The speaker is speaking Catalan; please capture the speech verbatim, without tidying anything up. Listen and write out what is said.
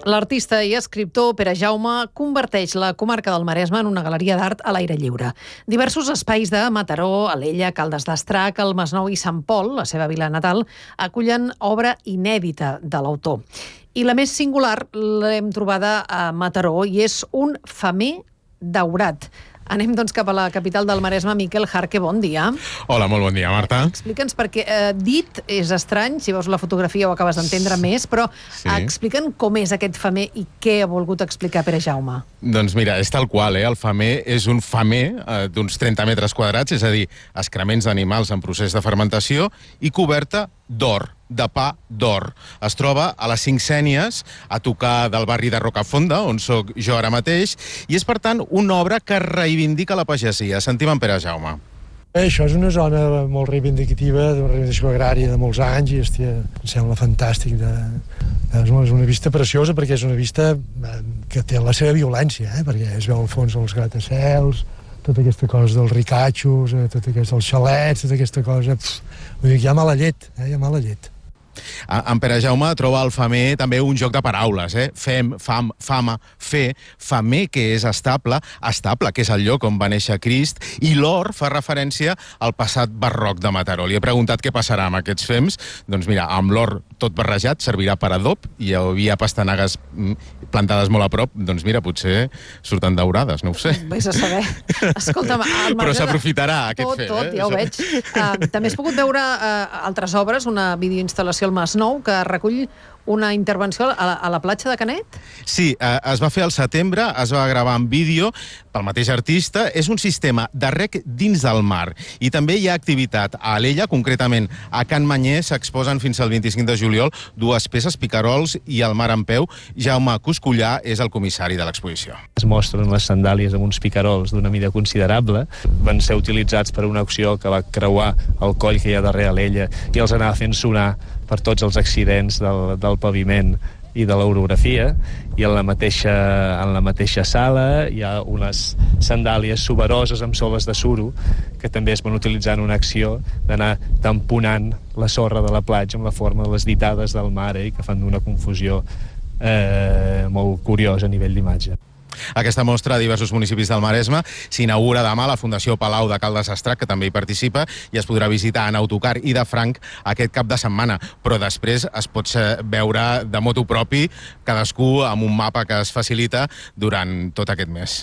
L'artista i escriptor Pere Jaume converteix la comarca del Maresme en una galeria d'art a l'aire lliure. Diversos espais de Mataró, Alella, Caldes d'Estrac, el Masnou i Sant Pol, la seva vila natal, acullen obra inèdita de l'autor. I la més singular l'hem trobada a Mataró i és un femer daurat. Anem, doncs, cap a la capital del Maresme. Miquel Jarque, bon dia. Hola, molt bon dia, Marta. Explica'ns, perquè eh, dit és estrany, si veus la fotografia ho acabes d'entendre més, però sí. Explica'ns com és aquest femer i què ha volgut explicar Pere Jaume. Doncs mira, és tal qual, eh? El femer és un femer eh, d'uns trenta metres quadrats, és a dir, excrements d'animals en procés de fermentació i coberta d'or, de pa d'or. Es troba a les Cinc Sénies, a tocar del barri de Rocafonda, on sóc jo ara mateix, i és, per tant, una obra que reivindica la pagesia. Sentim en Pere Jaume. Això és una zona molt reivindicativa, d'una reivindicació agrària de molts anys, i hòstia, em sembla fantàstic. De... És una vista preciosa, perquè és una vista que té la seva violència, eh? Perquè es veu al fons els gratacels, tota aquesta cosa dels ricatxos, tota aquesta, els xalets, tota aquesta cosa... Pff, vull dir que hi ha mala llet, eh? Hi ha mala llet. En Pere Jaume troba al femer també un joc de paraules, eh? Fem, fam, fama, fer, femer, que és estable, estable, que és el lloc on va néixer Crist, i l'or fa referència al passat barroc de Mataró. Li he preguntat què passarà amb aquests fems. Doncs mira, amb l'or tot barrejat servirà per adob, i hi havia pastanagues plantades molt a prop, doncs mira, potser surten daurades, no ho sé. Vés a saber. Escolta'm, però s'aprofitarà aquest tot, fem. Tot, eh? Ja ho veig. Uh, també has pogut veure uh, altres obres, una videoinstal·lació al Masnou, que recull una intervenció a la, a la platja de Canet? Sí, eh, es va fer al setembre, es va gravar en vídeo pel mateix artista. És un sistema de rec dins del mar. I també hi ha activitat a Alella, concretament a Can Manyer, s'exposen fins al vint-i-cinc de juliol dues peces, picarols i el mar en peu. Jaume Coscullà és el comissari de l'exposició. Es mostren les sandàlies amb uns picarols d'una mida considerable. Van ser utilitzats per una acció que va creuar el coll que hi ha darrere Alella i els anava fent sonar per tots els accidents del, del paviment i de l'orografia, i en la mateixa, en la mateixa sala hi ha unes sandàlies suberoses amb soles de suro que també es van utilitzar en una acció d'anar tamponant la sorra de la platja amb la forma de les ditades del mar, eh, que fan una confusió eh, molt curiosa a nivell d'imatge. Aquesta mostra a diversos municipis del Maresme s'inaugura demà a la Fundació Palau de Caldes d'Estrac, que també hi participa, i es podrà visitar en autocar i de franc aquest cap de setmana. Però després es pot veure de motu propi, cadascú amb un mapa que es facilita durant tot aquest mes.